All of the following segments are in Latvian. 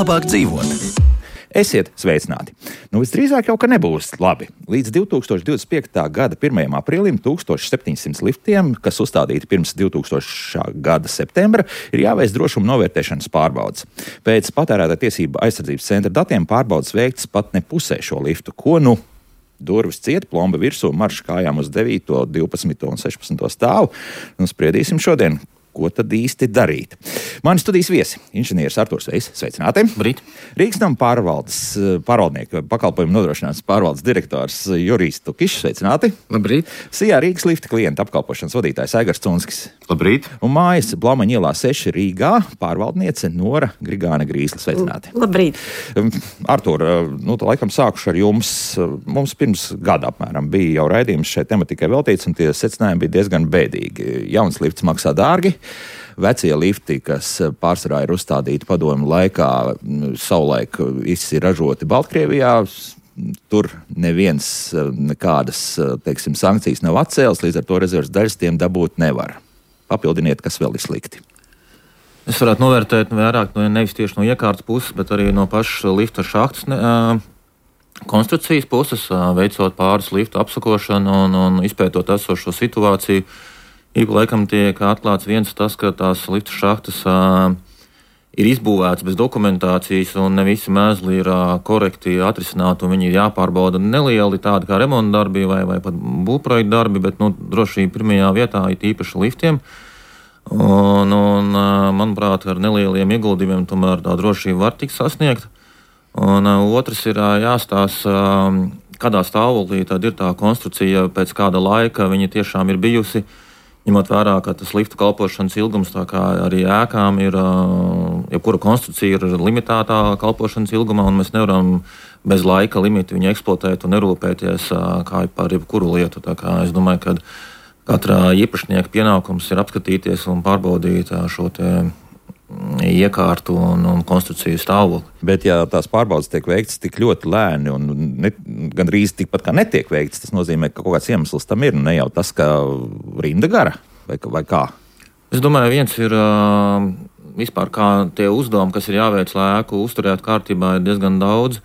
labāk dzīvot. Esiet sveicināti. Visdrīzāk jau, ka nebūs labi. Līdz 2025. gada 1. aprīlim 1700 liftiem, kas uzstādīti pirms 2000. gada septembra, ir jāveic drošuma novērtēšanas pārbaudes. Pēc patērētāju tiesību aizsardzības centra datiem pārbaudes veikts pat ne pusē šo liftu. Ko nu? Durvis ciet, plomba virsū, marš kājām uz 9., 12. un 16. stāvu. Spriedīsim šodien, ko tad īsti darīt. Mani studijas viesi - inženieris Arturs Veiss, sveicināti. Brīt. Rīgas nama pārvaldnieku pakalpojumu nodrošināšanas pārvaldes direktors Jurijs Tukišs, sveicināti. Labrīt. Sijā Rīgas lifta klienta apkalpošanas vadītājs Aigars Cunskis. Labrīt. Un mājas Blaumaņa ielā 6 Rīgā pārvaldniece Nora Grigāne Grīsla, sveicināti. Labrīt. Artur, laikam sākuši ar jums. Mums pirms gada apmēram bija jau raidījums šai tematikai veltīts, un tie secinājumi bija diezgan bēdīgi. Jauns lifts maksā dārgi. Vecie lifti, kas pārsvarā ir uzstādīti padomju laikā, savulaik ir ražoti Baltkrievijā. Tur neviens nekādas, teiksim, sankcijas nav atcēlis, līdz ar to rezerves daļas tiem dabūt nevar. Papildiniet, kas vēl ir slikti. Es varētu novērtēt vairāk nevis tieši no iekārtas puses, bet arī no pašas lifta šahtas konstrukcijas puses, veicot pāris liftu apsakošanu un izpētot esošo situāciju. Ik laikam tiek atklāts viens tas, ka tās lifta šahtas ir izbūvētas bez dokumentācijas un ne visi mēzli ir korekti atrisināti un viņi ir jāpārbauda nelieli tādi kā remonta darbi vai pat būvprojekta darbi, bet drošība pirmajā vietā ir īpaši liftiem. Un manuprāt, ar nelieliem ieguldījumiem tomēr tā drošība var tikt sasniegta. Un otrs ir jāstāsta, kādā stāvoklī tad ir tā konstrukcija, pēc kāda laika viņa tiešām ir bijusi. Ņemot vērā, ka tas liftu kalpošanas ilgums, tā kā arī ēkām ir, jebkura konstrukcija ir limitētā kalpošanas ilgumā, un mēs nevaram bez laika limita viņu eksploatēt un nerūpēties kā par jebkuru lietu. Tā kā es domāju, ka katrā īpašnieka pienākums ir apskatīties un pārbaudīt šo te iekārtu un konstrukciju stāvokli. Bet, ja tās pārbaudes tiek veikts tik ļoti lēni un gandrīz tikpat kā netiek veikts, tas nozīmē, ka kaut kāds iemesls tam ir, ne jau tas, ka rinda gara vai kā? Es domāju, viens ir vispār kā tie uzdevumi, kas ir jāveic, lai ēku uzturētu kārtībā, ir diezgan daudz,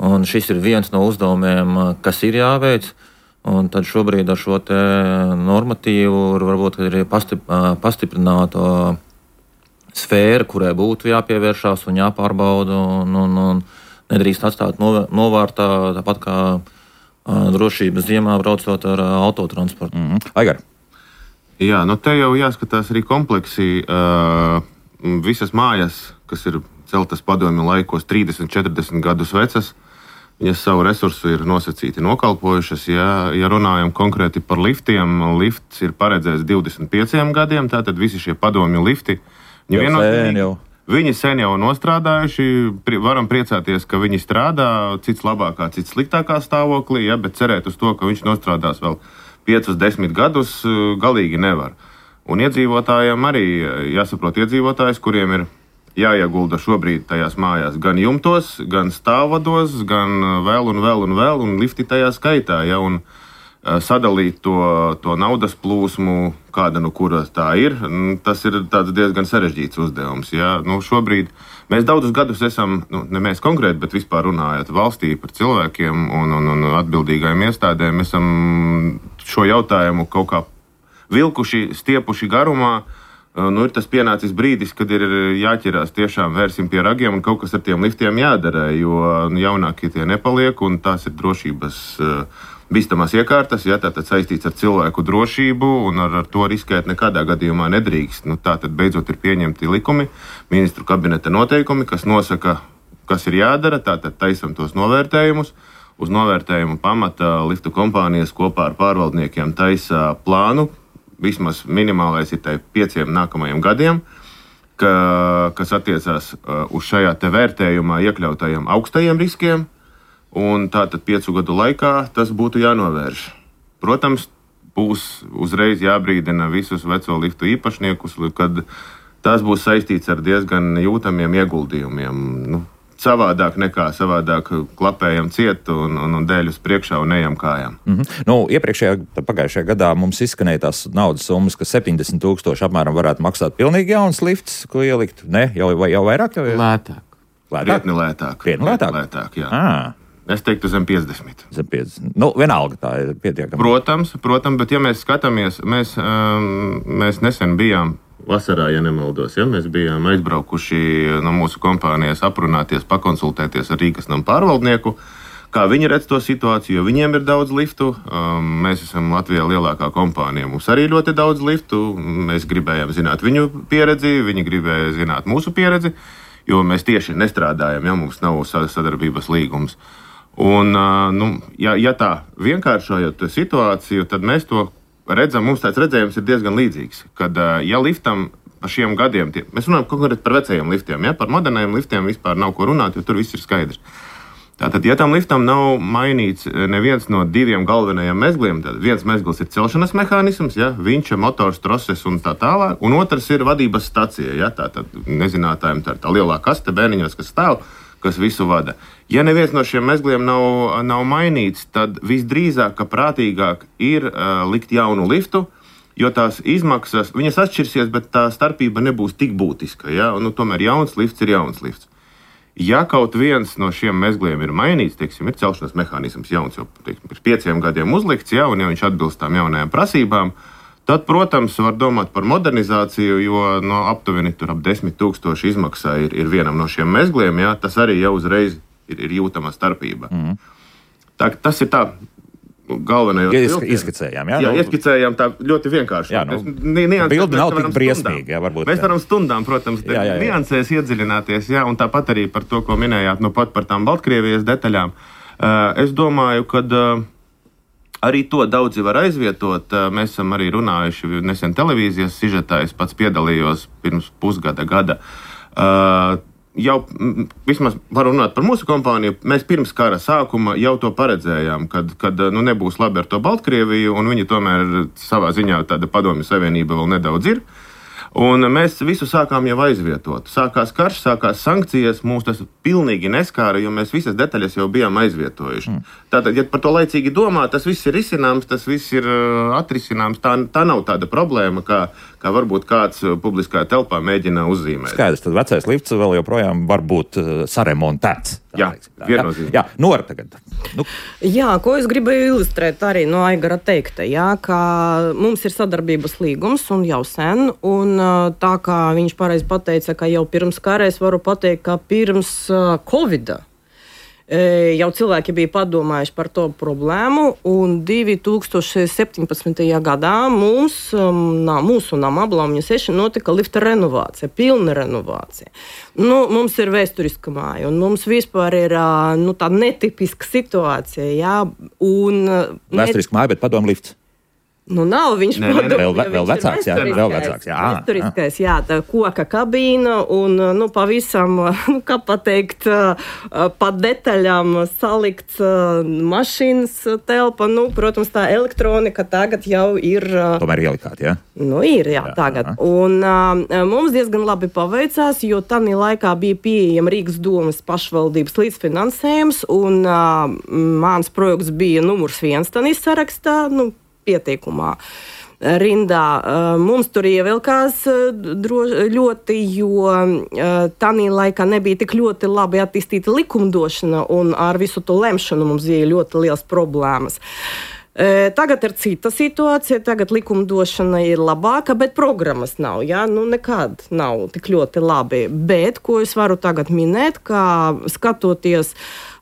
un šis ir viens no uzdevumiem, kas ir jāveic, un tad šobrīd ar šo te normatīvu varbūt ir pastiprināto sfēra, kurai būtu jāpievēršās un jāpārbauda un nedrīkst atstāt novārtā, tāpat kā drošības ziemā braucot ar autotransportu. Aigar. Jā, te jau jāskatās arī kompleksi. Visas mājas, kas ir celtas padomju laikos 30-40 gadus vecas, viņas savu resursu ir nosacīti nokalpojušas. Ja runājam konkrēti par liftiem, lifts ir paredzēts 25 gadiem, tātad visi šie padomju lifti viņi sen jau nostrādājuši, varam priecāties, ka viņi strādā, cits labākā, cits sliktākā stāvoklī, bet cerēt uz to, ka viņš nostrādās vēl 5-10 gadus, galīgi nevar. Un iedzīvotājiem arī jāsaprot iedzīvotājs, kuriem ir jāiegulda šobrīd tajās mājās gan jumtos, gan stāvvados, gan vēl, un lifti tajā skaitā, un sadalīt to naudas plūsmu, kāda kura tā ir, tas ir diezgan sarežģīts uzdevums. Šobrīd mēs daudzus gadus esam, ne mēs konkrēti, bet vispār runājot valstī par cilvēkiem un atbildīgajiem iestādēm, esam šo jautājumu kaut kā vilkuši, stiepuši garumā. Ir tas pienācis brīdis, kad ir jāķerās tiešām vērsim pie ragiem un kaut kas ar tiem liftiem jādara, jo jaunākie tie nepaliek un tās ir drošības bīstamās iekārtas, tātad saistīts ar cilvēku drošību un ar to riskēt nekādā gadījumā nedrīkst. Tātad beidzot ir pieņemti likumi, ministru kabineta noteikumi, kas nosaka, kas ir jādara, tātad taisam tos novērtējumus. Uz novērtējumu pamata liftu kompānijas kopā ar pārvaldniekiem taisa plānu, vismaz minimālais ir 5 nākamajiem gadiem, kas attiecās uz šajā te vērtējumā iekļautajiem augstajiem riskiem. Un tātad 5 gadu laikā tas būtu jānovērš. Protams, būs uzreiz jābrīdina visus veco liftu īpašniekus, kad tas būs saistīts ar diezgan jūtamiem ieguldījumiem. Savādāk klapējam ciet un dēļ uz priekšā un ejam kājām. Pagājušajā gadā mums izskanēja tās naudas summas, ka 70,000 apmēram varētu maksāt pilnīgi jauns lifts, ko ielikt. Ne, jau vairāk? Lētāk. Krietni lētāk. Lētāk, jā. Es teiktu zem 50. Zem 50. Nu, vienalga tā ir pietiekami. Protams, bet ja mēs skatāmies, mēs nesen bijām vasarā, ja nemaldos, ja mēs bijām aizbraukuši no mūsu kompānijas aprunāties, pakonsultēties ar Rīgas namu pārvaldnieku, kā viņi redz to situāciju, jo viņiem ir daudz liftu. Mēs esam Latvijā lielākā kompānija, mums arī ļoti daudz liftu. Mēs gribējām zināt viņu pieredzi, viņi gribēja zināt mūsu pieredzi, jo mēs tieši nestrādājam, ja mums nav sadarbības līgums. Un, ja tā vienkāršojot situāciju, tad mēs to redzam, mums tāds redzējums ir diezgan līdzīgs. Kad, ja liftam pa šiem gadiem, mēs runājam konkrēti par vecajiem liftiem, ja par modernajiem liftiem vispār nav ko runāt, jo tur viss ir skaidrs. Tātad, ja tam liftam nav mainīts neviens no diviem galvenajiem mezgliem, tad viens mezgls ir celšanas mehānisms, ja, vinča, motors, troses un tā tālāk, un otrs ir vadības stacija, ja, tātad nezinātājiem tā lielā kaste bērniņos, kas stāv, kas visu vada. Ja neviens no šiem mezgliem nav mainīts, tad visdrīzāk, ka prātīgāk ir likt jaunu liftu, jo tās izmaksas, viņas atšķirsies, bet tā starpība nebūs tik būtiska. Ja? Tomēr jauns lifts ir jauns lifts. Ja kaut viens no šiem mezgliem ir mainīts, teiksim, ir celšanas mehānisms jauns, jau pirms 5 gadiem uzlikts, ja, un ja viņš atbilst tām jaunajām prasībām, tad, protams, var domāt par modernizāciju, jo aptuveni ap 10 000 izmaksā ir vienam no šiem mezgliem, ja, tas arī jau uzreiz ir jūtama starpība. Tas ir tā galvenais. Izskicējām, jā? Jā, ieskicējām tā ļoti vienkārši. Jā, bildi nav tik briesmīgi, jā, varbūt. Mēs varam stundām, protams, niansēs iedziļināties, jā, un tāpat arī par to, ko minējāt, pat par tām Baltkrievijas detaļām. Es domāju, ka arī to daudzi var aizvietot. Mēs esam arī runājuši nesen televīzijas sižetā, es pats piedalījos pirms gada. Jau vismaz varu runāt par mūsu kompāniju. Mēs pirms kara sākuma jau to paredzējām, kad nebūs labi ar to Baltkrieviju, un viņi tomēr savā ziņā tāda padomju savienība vēl nedaudz ir. Un mēs visu sākām jau aizvietot. Sākās karš, sākās sankcijas, mūs tas pilnīgi neskāra, jo mēs visas detaļas jau bijām aizvietojuši. Tātad, ja par to laicīgi domā, tas viss ir risināms, tas viss ir atrisināms. Tā nav tāda problēma, kā varbūt kāds publiskā telpā mēģina uzzīmēt. Skaidrs, tad vecais lifts vēl joprojām var būt saremontēts. Jā, viennozīmīgi. Jā, Nora tagad. Jā, ko es gribēju ilustrēt arī no Aigara teikta, jā, ka mums ir sadarbības līgums un jau sen, un tā kā viņš pareizi pateica, ka jau pirms kara es varu pateikt, ka pirms Covida jau cilvēki bija padomājuši par to problēmu, un 2017. gadā mūsu nama Blamņa 6 notika lifta renovācija, pilna renovācija. Mums ir vēsturiska māja, un mums vispār ir tā netipiska situācija. Jā, vēsturiska māja, bet padomu lifts. Nav viņš vēl vecāks, jā, vēl vecāks, jā. Vēsturiskais, jā, tā koka kabīna un, pavisam, kā pateikt, pa detaļām salikts mašīnas telpa, protams, tā elektronika tagad jau ir... Tomēr ielikāt, jā? Ir, jā, tagad. Un mums diezgan labi paveicās, jo tanī laikā bija pieejama Rīgas domas pašvaldības līdzfinansējums, un mans projekts bija numurs 1 tanī sarakstā, pieteikumā rindā. Mums tur ievilkās ļoti, jo tanī laikā nebija tik ļoti labi attīstīta likumdošana, un ar visu to lemšanu mums bija ļoti liels problēmas. Tagad ir cita situācija, tagad likumdošana ir labāka, bet programmas nav, jā, nekad nav tik ļoti labi. Bet, ko es varu tagad minēt, kā skatoties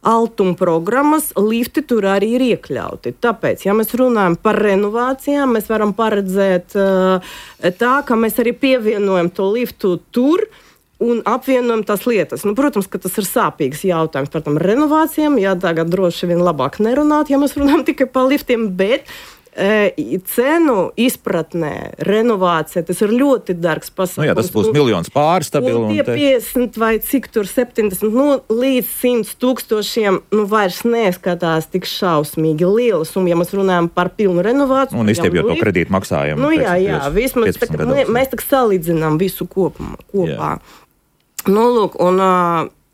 altuma programmas, lifti tur arī ir iekļauti. Tāpēc, ja mēs runājam par renovācijām, mēs varam paredzēt tā, ka mēs arī pievienojam to liftu tur un apvienojam tās lietas. Protams, ka tas ir sāpīgs jautājums par tām renovācijām. Jā, tagad droši vien labāk nerunāt, ja mēs runājam tikai par liftiem, bet cenu izpratnē renovācija, tas ir ļoti dārgs pasākums. Jā, tas būs miljons pāri stabili. Un tie 50 vai cik tur 70, līdz 100 000, vairs neskatās tik šausmīgi lielas. Un ja mēs runājam par pilnu renovāciju... Un izstiepjot to kredītu maksājumu. Jā, vismaz mēs tak salīdzinām visu kopā. Jā. Lūk, un...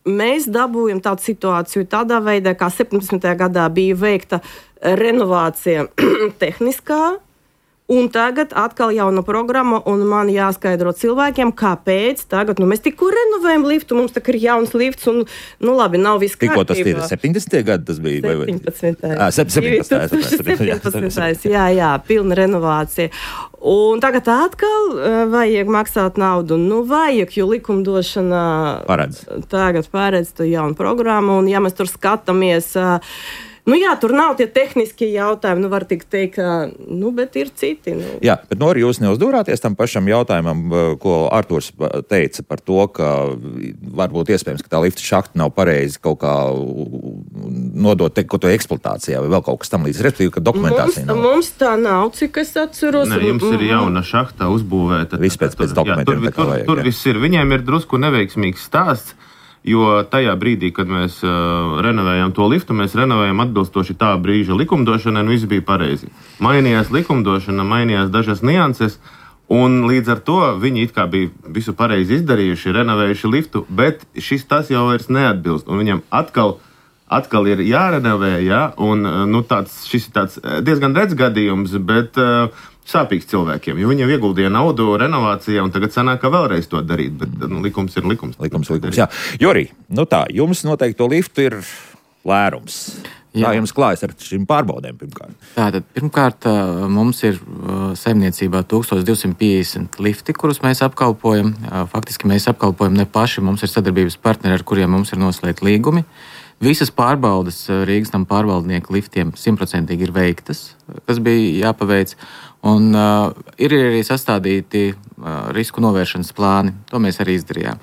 Mēs dabūjam tādu situāciju tādā veidā, kā 17. gadā bija veikta renovācija tehniskā, Un tagad atkal jauna programma, un man jāskaidro cilvēkiem, kāpēc tagad, mēs tikko renovējam liftu, mums tā ir jauns lifts, un, labi, nav viss kārtībā. Tikko tas ir 70. gadi, tas bija? 17. Jā, pilna renovācija. Un tagad atkal vajag maksāt naudu. Vajag, jo likumdošana tagad paredz to jaunu programmu, un ja mēs tur skatāmies, tur nav tie tehniskie jautājumi, var tik teikt, bet ir citi. Jā, bet arī jūs neuzdūrāties tam pašam jautājumam, ko Arturs teica par to, ka varbūt iespējams, ka tā lifta šahta nav pareizi kaut kā nodot kaut to eksploatācijā vai vēl kaut kas tam līdz, respektīvi, ka dokumentācija nav. Mums tā nav, cik es atceros. Nē, jums ir jauna šahta uzbūvēta. Viss pēc dokumentiem. Tur viss ir. Viņiem ir drusku neveiksmīgs stāsts. Jo tajā brīdī, kad mēs renovējām to liftu, mēs renovējām atbilstoši tā brīža likumdošanai, un viss bija pareizi. Mainījās likumdošana, mainījās dažas nianses, un līdz ar to viņi it kā bija visu pareizi izdarījuši, renovējuši liftu, bet tas jau vairs neatbilst, un viņam atkal ir jārenovē, un šis ir tāds diezgan redz gadījums, bet sāpīgs cilvēkiem, jo viņiem ieguldīja naudu renovācijā, un tagad sanāk, ka vēlreiz to darīt, bet likums ir likums. Likums, jā. Jori, jums noteikti to liftu ir lērums. Kā jums klājas ar šīm pārbaudēm pirmkārt? Tātad, pirmkārt, mums ir saimniecībā 1250 lifti, kurus mēs apkalpojam. Faktiski mēs apkalpojam ne paši, mums ir sadarbības partneri, ar kuriem mums ir noslēgti līgumi. Visas pārbaudes Rīgas nama pārvaldnieku liftiem 100% ir veiktas, kas bija jāpaveic. Un ir arī sastādīti risku novēršanas plāni. To mēs arī izdarījām.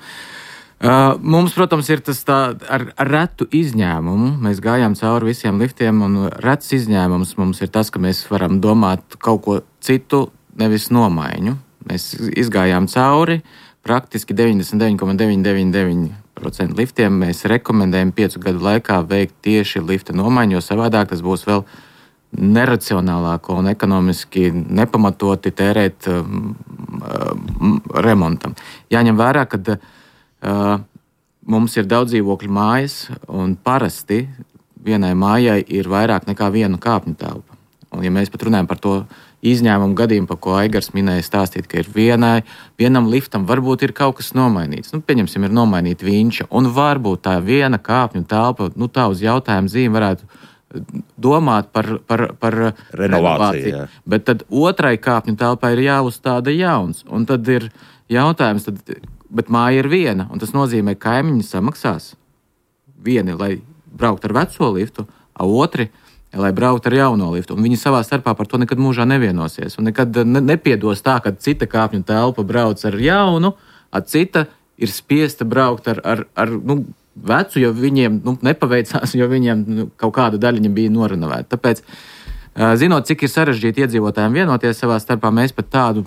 Mums, protams, ir tas ar retu izņēmumu. Mēs gājām cauri visiem liftiem, un rets izņēmums mums ir tas, ka mēs varam domāt kaut ko citu, nevis nomaiņu. Mēs izgājām cauri praktiski 99,999% liftiem. Mēs rekomendējam 5 gadu laikā veikt tieši lifta nomaiņu, jo savādāk tas būs vēl neracionālāko un ekonomiski nepamatoti tērēt remontam. Jāņem vērā, ka mums ir daudz dzīvokļu mājas, un parasti vienai mājai ir vairāk nekā viena kāpņu telpa. Un, ja mēs pat runājam par to izņēmumu gadījumu, par ko Aigars minēja stāstīt, ka ir vienam liftam varbūt ir kaut kas nomainīts. Pieņemsim, ir nomainīta vinča, un varbūt tā viena kāpņu telpa, tā uz jautājumu zīmi varētu domāt par renovāciju. Jā. Bet tad otrai kāpņu telpai ir jāuzstāda jauns. Un tad ir jautājums, bet māja ir viena, un tas nozīmē, ka kaimiņi samaksās. Vieni, lai braukt ar veco liftu, a otri, lai braukt ar jauno liftu. Un viņi savā starpā par to nekad mūžā nevienosies. Un nekad nepiedos tā, ka cita kāpņu telpa brauc ar jaunu, a cita ir spiesta braukt ar vecu, jo viņiem nepaveicās, jo viņiem kaut kāda daļiņa bija norenovēta. Tāpēc, zinot, cik ir sarežģīti iedzīvotājiem vienoties savā starpā, mēs pat tādu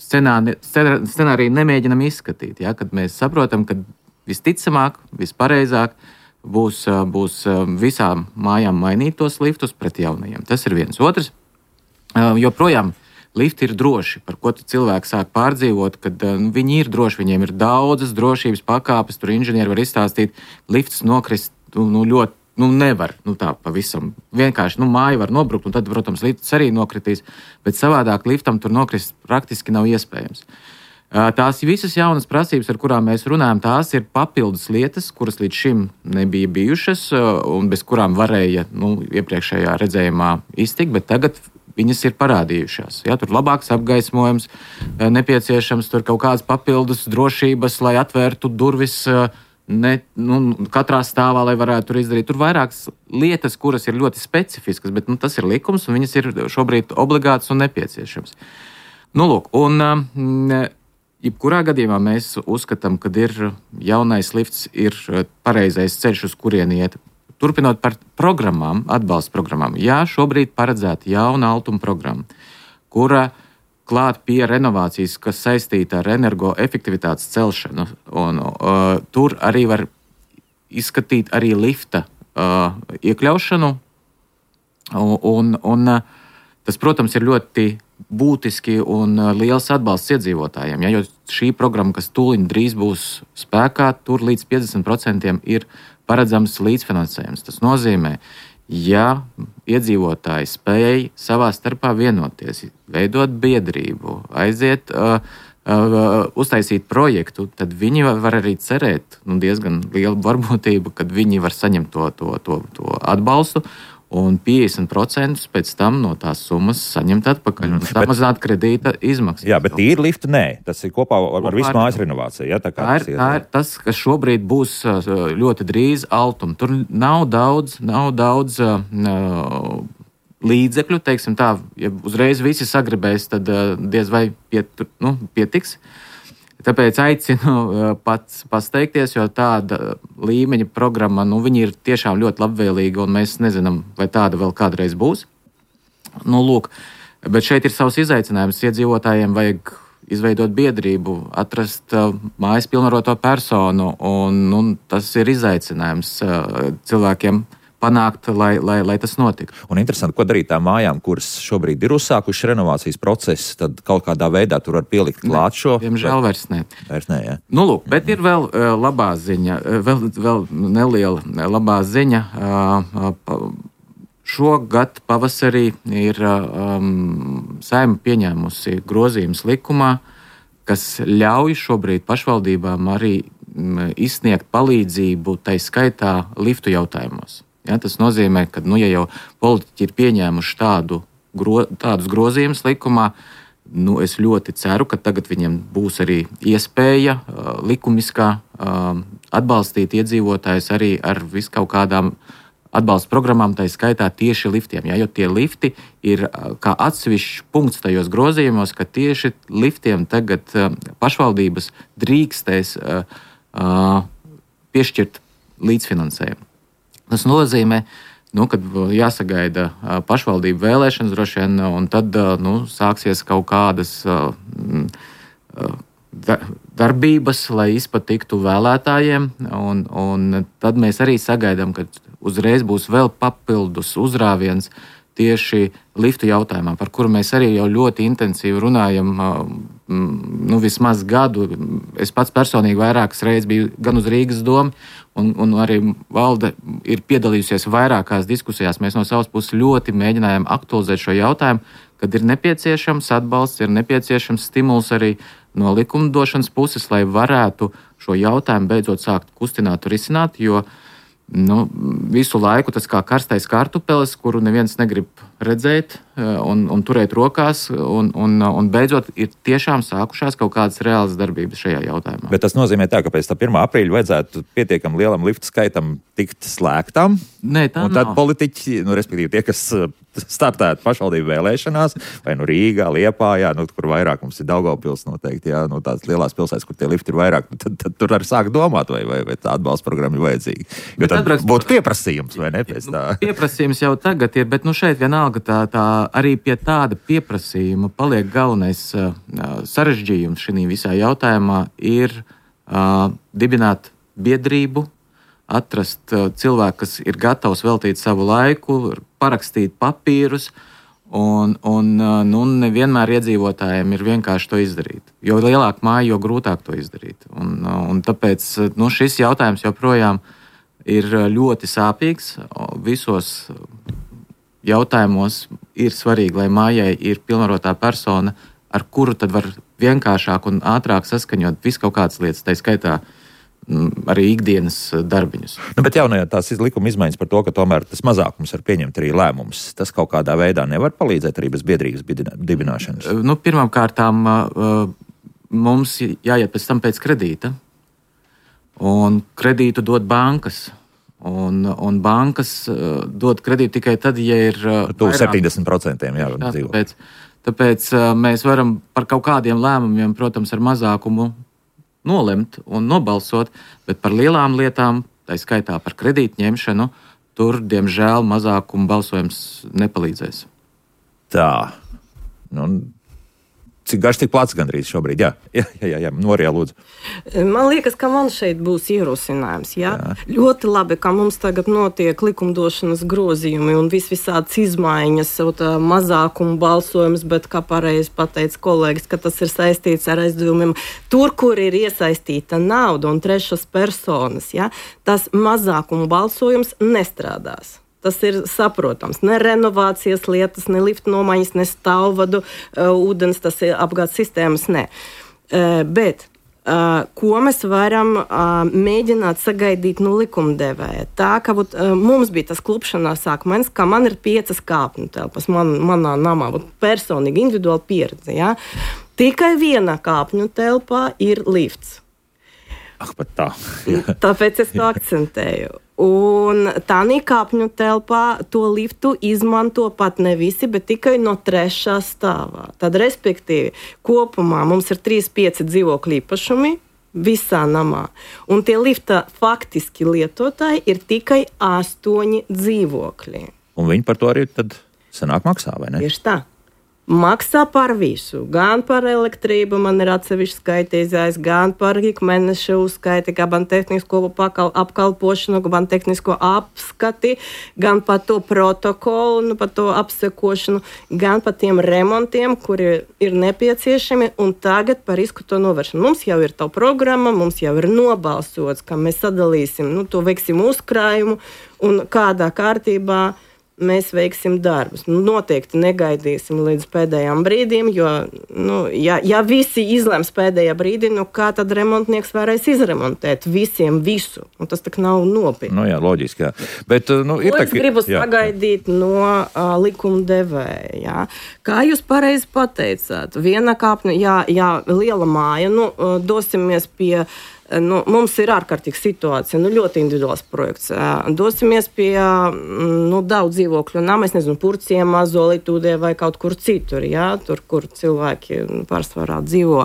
scenāriju nemēģinam izskatīt. Ja? Kad mēs saprotam, ka visticamāk, vispareizāk būs visām mājām mainīt tos liftus pret jaunajiem. Tas ir viens. Otrs, joprojām lifti ir droši, par ko cilvēki sāk pārdzīvot, kad viņi ir droši, viņiem ir daudzas drošības pakāpes, tur inženieri var izstāstīt, lifts nokrist ļoti, nevar, tā pavisam. Vienkārši, māja var nobrukt, un tad, protams, lifts arī nokritīs, bet savādāk liftam tur nokrist praktiski nav iespējams. Tās visas jaunas prasības, ar kurām mēs runājam, tās ir papildus lietas, kuras līdz šim nebija bijušas, un bez kurām varēja, iepriekšējā redzējumā iztikt, bet tagad viņas ir parādījušās. Ja, tur labāks apgaismojums, nepieciešams tur kaut kādas papildus drošības, lai atvērtu durvis katrā stāvā, lai varētu tur izdarīt. Tur vairākas lietas, kuras ir ļoti specifiskas, bet tas ir likums, un viņas ir šobrīd obligātas un nepieciešams. Jebkurā gadījumā mēs uzskatām, ka jaunais lifts ir pareizais ceļš, uz kurieni iet. Turpinot par programmām, atbalsta programmām. Jā, šobrīd paredzēta jauna altuma programma, kura klāt pie renovācijas, kas saistīta ar energoefektivitātes celšanu. Tur arī var izskatīt arī lifta iekļaušanu. Tas, protams, ir ļoti būtiski un liels atbalsts iedzīvotājiem. Ja, jo šī programma, kas tūliņ drīz būs spēkā, tur līdz 50% ir paredzams līdzfinansējums. Tas nozīmē, ja iedzīvotāji spēj savā starpā vienoties, veidot biedrību, aiziet, uztaisīt projektu, tad viņi var arī cerēt diezgan lielu varbūtību, kad viņi var saņemt to atbalstu un 50% pēc tam no tās summas saņemt atpakaļ un samazināt kredīta izmaksas. Jā, bet tīri liftu nē. Tas ir kopā ar visu mājas renovāciju. Ja? Tā ir tas, kas šobrīd būs ļoti drīz Altum. Tur nav daudz līdzekļu, teiksim tā, ja uzreiz visi sagribēs, tad diez vai pietiks. Tāpēc aicinu pats pasteikties, jo tāda līmeņa programma, viņi ir tiešām ļoti labvēlīga, un mēs nezinām, vai tāda vēl kādreiz būs. Lūk, bet šeit ir savs izaicinājums. Iedzīvotājiem vajag izveidot biedrību, atrast mājas pilnvaroto personu, un tas ir izaicinājums cilvēkiem panākt, lai tas notiktu. Un interesanti, ko darīt tām mājām, kuras šobrīd ir uzsākušas renovācijas procesu, tad kaut kādā veidā tur var pielikt klāt šo. Diemžēl vairs ne. Vairs ne, jā. Lūk, bet ir vēl labā ziņa, vēl neliela labā ziņa. Šogad pavasarī ir Saeima pieņēmusi grozījumus likumā, kas ļauj šobrīd pašvaldībām arī izsniegt palīdzību, tai skaitā liftu jautājumos. Ja, tas nozīmē, ka, ja jau politiķi ir pieņēmuši tādus grozījumus likumā, es ļoti ceru, ka tagad viņiem būs arī iespēja likumiskā atbalstīt iedzīvotājus arī ar viskaut kādām atbalsta programmām, tai skaitā tieši liftiem. Ja, jo tie lifti ir kā atsevišķs punkts tajos grozījumos, ka tieši liftiem tagad pašvaldības drīkstēs piešķirt līdzfinansējumu. Tas nozīmē, kad jāsagaida pašvaldību vēlēšanas droši vien, un tad sāksies kaut kādas darbības, lai izpatiktu vēlētājiem, un tad mēs arī sagaidām, ka uzreiz būs vēl papildus uzrāviens tieši liftu jautājumā, par kuru mēs arī jau ļoti intensīvi runājam, vismaz gadu. Es pats personīgi vairākas reizes biju gan uz Rīgas domu, un arī valde ir piedalījusies vairākās diskusijās. Mēs no savas puses ļoti mēģinājām aktualizēt šo jautājumu, kad ir nepieciešams atbalsts, ir nepieciešams stimuls arī no likumdošanas puses, lai varētu šo jautājumu beidzot sākt kustināt un risināt, jo visu laiku tas kā karstais kartupelis, kuru neviens negrib redzēt un turēt rokās, un beidzot ir tiešām sākušās kaut kādas reālas darbības šajā jautājumā. Bet tas nozīmē tā, ka pēc tā 1. aprīļa vajadzētu pietiekam lielam liftu skaitam tikt slēgtam. Nē, tā un tad politiķi, respektīvi tie, kas startētu pašvaldību vēlēšanās, vai Rīgā, Liepājā, kur vairākums ir Daugavpils noteikti, jā, tās lielās pilsētas, kur tie lifti ir vairāk, tad tur arī sāk domāt, vai tā atbalsta programma ir vajadzīga. Jo tad būtu pieprasījums, vai ne? Pieprasījums jau tagad ir, bet šeit vienalga tā arī pie tāda pieprasījuma paliek galvenais sarežģījums šī visā jautājumā ir dibināt biedrību, atrast cilvēku, kas ir gatavs veltīt savu laiku, parakstīt papīrus, un nevienmēr iedzīvotājiem ir vienkārši to izdarīt. Jo lielāka māja, jo grūtāk to izdarīt. Un tāpēc šis jautājums joprojām ir ļoti sāpīgs. Visos jautājumos ir svarīgi, lai mājai ir pilnvarotā persona, ar kuru tad var vienkāršāk un ātrāk saskaņot visu kaut kādas lietas, tai skaitā arī ikdienas darbiņus. Bet jaunajā tās likuma izmaiņas par to, ka tomēr tas mazākums var pieņemt arī lēmumus, tas kaut kādā veidā nevar palīdzēt arī bez biedrības dibināšanas? Pirmkārtām mums jāiet pēc tam pēc kredīta, un kredītu dod bankas. Un bankas dod kredītu tikai tad, ja ir 70% dzīvo. Tāpēc mēs varam par kaut kādiem lēmumiem, protams, ar mazākumu nolemt un nobalsot, bet par lielām lietām, tā skaitā par kredītu ņemšanu, tur, diemžēl, mazākuma balsojums nepalīdzēs. Tā. Cik garš, tik plats gandrīz šobrīd? Jā. Norijā, lūdzu. Man liekas, ka man šeit būs ierosinājums. Jā? Ļoti labi, ka mums tagad notiek likumdošanas grozījumi un visādas izmaiņas, mazākumu balsojums, bet, kā pareizi pateica kolēģis, ka tas ir saistīts ar aizdevumiem. Tur, kur ir iesaistīta nauda un trešas personas, tas mazākumu balsojums nestrādās. Tas ir saprotams. Ne renovācijas lietas, ne lifta nomaiņas, ne stāvvadu ūdens, tas ir apgādes sistēmas, ne. Bet ko mēs varam mēģināt sagaidīt no likumdevēja? Tā, ka mums bija tas klupšanās akmens, ka man ir 5 kāpņu telpas manā namā, personīgi, individuāli pieredze. Ja? Tikai viena kāpņu telpā ir lifts. Pat tā. Tāpēc es to akcentēju. Un tā kāpņu telpā to liftu izmanto pat ne visi, bet tikai no 3. stāvā. Tad, respektīvi, kopumā mums ir 3-5 dzīvokļu īpašumi visā namā. Un tie lifta faktiski lietotāji ir tikai 8 dzīvokļi. Un viņi par to arī tad sanāk maksā, vai ne? Tieši tā. Maksā par visu, gan par elektrību, man ir atsevišķi skaitīzājs, gan par ikmēneša uzskaiti, gan tehnisko apkalpošanu, gan tehnisko apskati, gan par to protokolu, par to apsekošanu, gan par tiem remontiem, kuri ir nepieciešami, un tagad par risku to novēršanu. Mums jau ir tā programma, mums jau ir nobalsots, ka mēs sadalīsim, to veiksim uzkrājumu, un kādā kārtībā mēs veiksim darbus. Noteikti negaidīsim līdz pēdējām brīdīm, jo, ja visi izlems pēdējā brīdī, kā tad remontnieks varēs izremontēt visiem visu? Un tas tak nav nopietni. Jā, loģiski, jā. Bet, es gribu sagaidīt no likumdevēja. Jā. Kā jūs pareizi pateicāt? Viena kāpņa, jā, liela māja, dosimies pie... mums ir ārkārtīga situācija, ļoti individuāls projekts. Dosimies pie daudz dzīvokļu nama, es nezinu, Purciemā, Zolitūdē vai kaut kur citur, ja, tur, kur cilvēki pārsvarā dzīvo.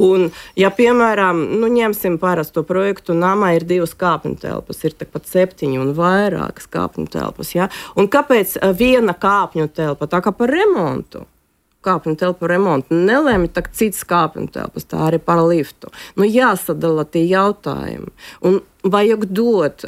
Un, ja, piemēram, ņemsim parasto projektu, namā ir 2 kāpņu telpas, ir pat 7 un vairākas kāpņu telpas, ja. Un kāpēc viena kāpņu telpa, tā kā par remontu? Kāpņu telpu remontu nelēma, tā cits kāpņu telpas, tā arī par liftu. Jāsadala tie jautājumi. Un vajag dot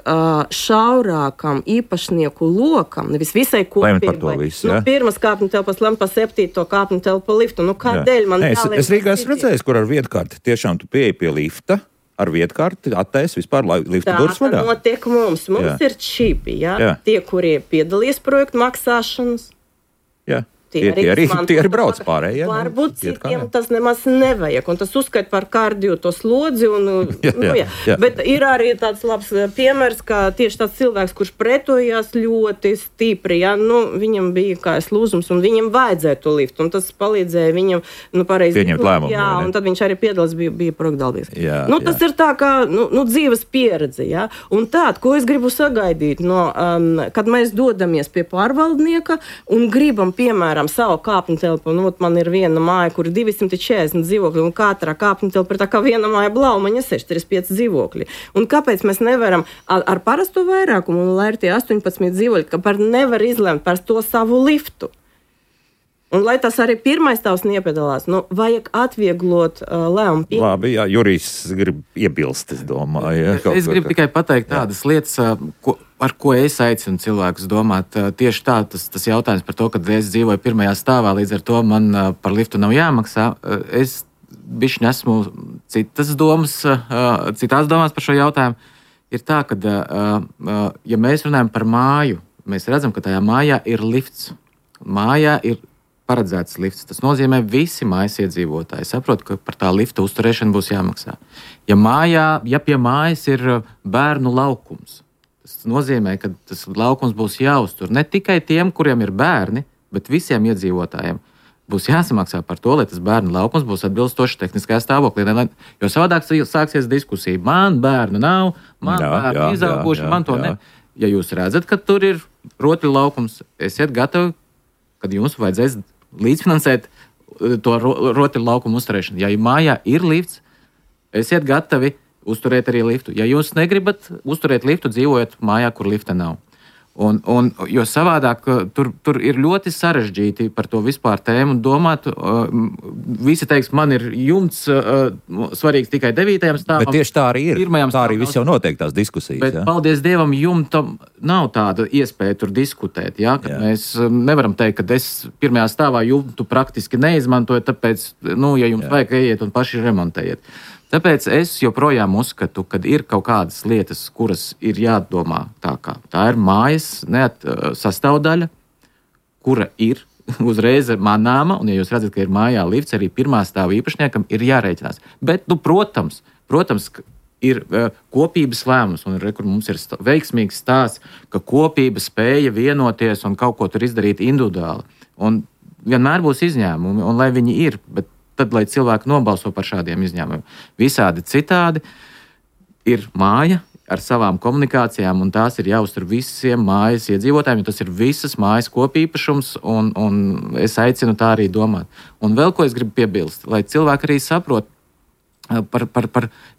šaurākam īpašnieku lokam, nevis visai kopībai. Pirmas kāpņu telpas lem par 7. kāpņu telpu liftu. Kādēļ man jālēm? Es Rīgā esmu redzējis, kur ar vietkārti tiešām tu pieeji pie lifta, ar vietkārti attaisi vispār lifta durvis vaļā. Tā notiek mums. Mums ir čipi, ja? Tie, kurie piedalīs projektu maksāšanas. Jā. Tie arī brauc pārējie. Varbūt citiem tas nemaz nevajag. Un tas uzskait par kārdio to slodzi. Jā. Bet ir arī tāds labs piemērs, ka tieši tāds cilvēks, kurš pretojās ļoti stipri, ja, viņam bija kājas lūzums un viņam vajadzēja to liftu. Un tas palīdzēja viņam pareizi pieņemt lēmumu. Jā, un tad viņš arī piedalās, bija projektdalībnieks. Tas ir tā kā dzīves pieredze. Ja? Un tād, ko es gribu sagaidīt, kad mēs dodamies pie pārvaldnieka un gribam, piemēram, savu kāpņu telpu. Man ir viena māja, kur ir 240 dzīvokļi, un katrā kāpņu telpa ir tā kā viena māja Blaumaņa 635 dzīvokļi. Un kāpēc mēs nevaram ar parasto vairākumu, lai ir tie 18 dzīvokļi, kāpēc nevar izlemt par to savu liftu? Un, lai tas arī pirmais tavs nepiedalās, vajag atvieglot lēmumu. Labi, jā, Jurijs grib iebilst, es domāju. Ja, es gribu tikai pateikt tādas lietas, ar ko es aicinu cilvēkus domāt. Tieši tā, tas jautājums par to, kad es dzīvoju 1. stāvā, līdz ar to man par liftu nav jāmaksā. Es bišķi esmu citās domās par šo jautājumu. Ir tā, ka, ja mēs runājam par māju, mēs redzam, ka tajā mājā ir lifts. Mājā ir paredzēts lifts. Tas nozīmē, visi mājas iedzīvotāji saprot, ka par tā lifta uzturēšanu būs jāmaksā. Ja pie mājas ir bērnu laukums, tas nozīmē, ka tas laukums būs jāuztur ne tikai tiem, kuriem ir bērni, bet visiem iedzīvotājiem. Būs jāsamaksā par to, lai tas bērnu laukums būs atbilstoši tehniskajā stāvoklī. Jo savādāk sāksies diskusija. Man bērnu nav, man bērnu izauguši, man to ne. Ja jūs redzat, ka tur ir rotaļu laukums, esiet gatavi, kad jums vajadzēs līdzfinansēt to rotaļu laukumu uzturēšanu. Ja mājā ir lifts, esiet gatavi uzturēt arī liftu. Ja jūs negribat uzturēt liftu, dzīvojat mājā, kur lifta nav. Jo savādāk tur ir ļoti sarežģīti par to vispār tēmu domāt. Visi teiks, man ir jumts svarīgs tikai 9. stāvam. Bet tieši tā arī ir. Tā arī viss jau notiek tās diskusijas. Bet, paldies Dievam, jumtam nav tāda iespēja tur diskutēt. Ja? Mēs nevaram teikt, ka es 1. stāvā jumtu praktiski neizmantoju, tāpēc, ja jums vajag, ejiet un paši remontējiet. Tāpēc es joprojām uzskatu, ka ir kaut kādas lietas, kuras ir jādomā tā kā. Tā ir mājas sastāvdaļa, kura ir uzreiz manāma, un ja jūs redzat, ka ir mājā lifts, arī pirmā stāva īpašniekam ir jārēķinās. Bet, protams, ir kopības lēmums, un kur mums ir veiksmīgs stāsts, ka kopība spēja vienoties un kaut ko tur izdarīt individuāli. Un vienmēr būs izņēmumi, un lai viņi ir, bet tad, lai cilvēki nobalso par šādiem izņēmumiem. Visādi citādi ir māja ar savām komunikācijām, un tās ir jāuztur visiem mājas iedzīvotājiem, jo tas ir visas mājas kopīpašums, un es aicinu tā arī domāt. Un vēl ko es gribu piebilst, lai cilvēki arī saprot,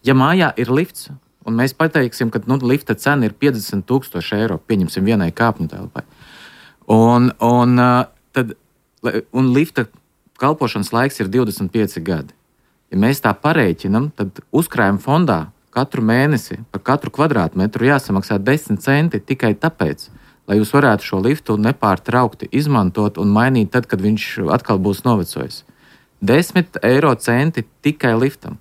ja mājā ir lifts, un mēs pateiksim, ka lifta cena ir 50,000 eiro, pieņemsim vienai kāpņu telpai, un lifta kalpošanas laiks ir 25 gadi. Ja mēs tā parēķinam, tad uzkrājuma fondā katru mēnesi par katru kvadrātmetru jāsamaksā 10 centi tikai tāpēc, lai jūs varētu šo liftu nepārtraukti izmantot un mainīt tad, kad viņš atkal būs novecojis. 10 eiro centi tikai liftam.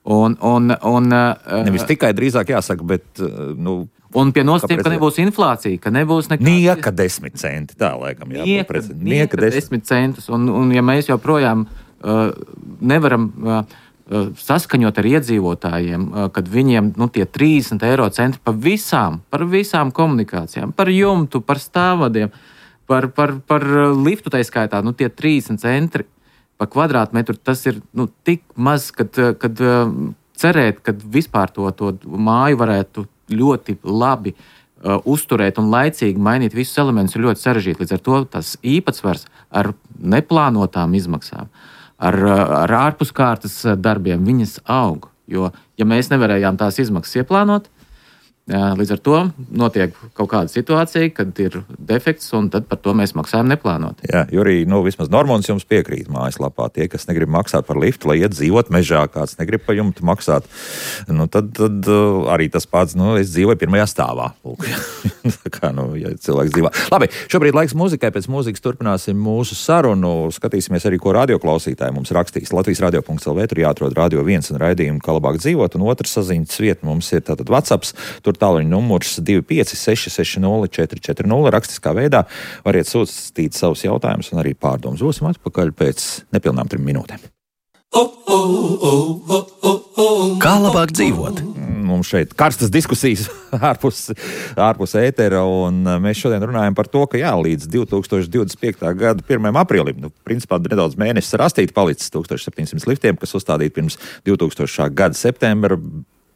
Nevis tikai drīzāk jāsaka, bet... Un pie nosacījuma, ka nebūs inflācija, ka nebūs nekāda... Nieka 10 centi, tā laikam jābūt. Nieka 10 centus. Un ja mēs joprojām nevaram... saskaņot ar iedzīvotājiem, kad viņiem tie 30 eiro centi par visām komunikācijām, par jumtu, par stāvvadiem, par liftu tā skaitā, tie 30 centi par kvadrātmetru, tas ir tik maz, kad cerēt, ka vispār to māju varētu ļoti labi uzturēt un laicīgi mainīt visus elementus ir ļoti sarežģīti. Līdz ar to tas īpatsvars ar neplānotām izmaksām, ar ārpuskārtas darbiem, viņas aug. Jo, ja mēs nevarējām tās izmaksas ieplānot, līdz ar to notiek kaut kāda situācija, kad ir defekts, un tad par to mēs maksājam neplānot. Jā, Jurij, vismaz Normons jums piekrīt mājaslapā. Tie, kas negrib maksāt par liftu, lai iet dzīvot mežā, kāds negrib pa jumtu maksāt, tad arī tas pats, es dzīvoju pirmajā stāvā. Tā kā, ja cilvēks dzīvo. Labi, šobrīd laiks muzikai, pēc mūzikas turpināsim mūsu sarunu. Skatīsimies arī, ko radioklausītāji mums rakstīs. Latvijas radio.lv, tur jāatrod Radio 1 un raidījumu, kā labāk dzīvot, un otrs saziņas vieta mums ir tātad WhatsApps, tur tālruņa numurs 256-60-440. Rakstiskā veidā variet sūtīt savus jautājumus un arī pārdomas. Būsim atpakaļ pēc nepilnām 3 minūtēm. Kā labāk dzīvot? Mums šeit karstas diskusijas ārpus ētera, un mēs šodien runājam par to, ka līdz 2025. gada 1. aprīlim, principā nedaudz mēnesis rastīt palicis 1700 liftiem, kas uzstādīti pirms 2000. gada septembra,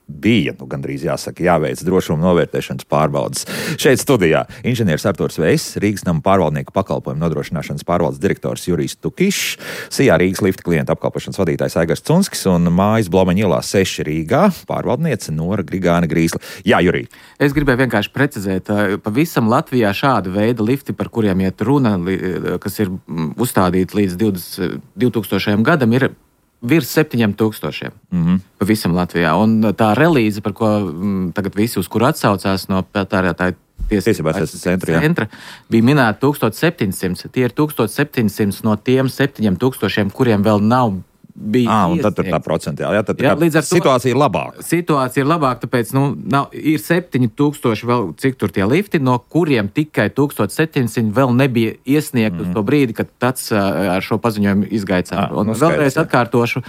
bija, gandrīz jāsaka, jāveic drošuma novērtēšanas pārbaudas. Šeit studijā inženieris Arturs Veiss, Rīgas nama pārvaldnieku pakalpojumu nodrošināšanas pārvaldes direktors Jurijs Tukišs, Sijā Rīgas lifta klientu apkalpošanas vadītājs Aigars Cunskis un mājas Blomeņa ielā 6 Rīgā pārvaldniece Nora Grigāna Grīsla. Jā, Jurij. Es gribēju vienkārši precizēt, pavisam Latvijā šāda veida lifti, par kuriem iet runa, kas ir uzstādīti līdz 2000. gadam, ir virs 7,000 pavisam Latvijā. Un tā relīze, par ko tagad visi uz kuru atsaucās no patērētāju tiesībās centra, bija minēta 1700. Tie ir 1700 no tiem 7,000, kuriem vēl nav bija. Un tad tur tā procentuāli. Tad situācija ir labāka. Situācija ir labāka, tāpēc ir 7,000 vēl, cik tur tie lifti, no kuriem tikai 1,700 vēl nebija iesniegt uz to brīdi, kad tāds ar šo paziņojumu izgāja cauri. Un vēlreiz atkārtošu,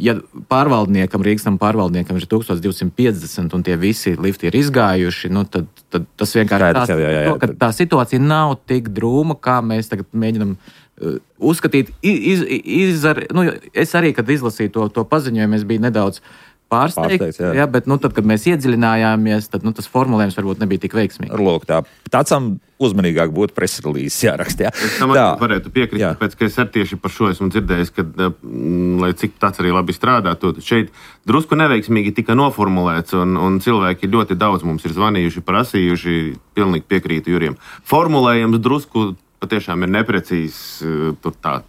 ja Rīgas nama pārvaldniekam ir 1250 un tie visi lifti ir izgājuši, tad tas vienkārši ka tā situācija nav tik drūma, kā mēs tagad mēģinam uzskatīt. Es arī, kad izlasīju to paziņojumu, es biju nedaudz pārsteigts, bet tad, kad mēs iedziļinājāmies, tad tas formulējums varbūt nebija tik veiksmīgs. Lūk, tācam uzmanīgāk būtu preselīzes jāraksta. Es tam varētu piekrist, tāpēc, ka es arī tieši par šo esmu dzirdējis, ka, lai cik tāds arī labi strādātu, šeit drusku neveiksmīgi tika noformulēts, un cilvēki ļoti daudz mums ir zvanījuši, prasījuši, pilnīgi piekrītu Jurijam. Formulējums drusku patiešām ir neprecīzs, tur tā.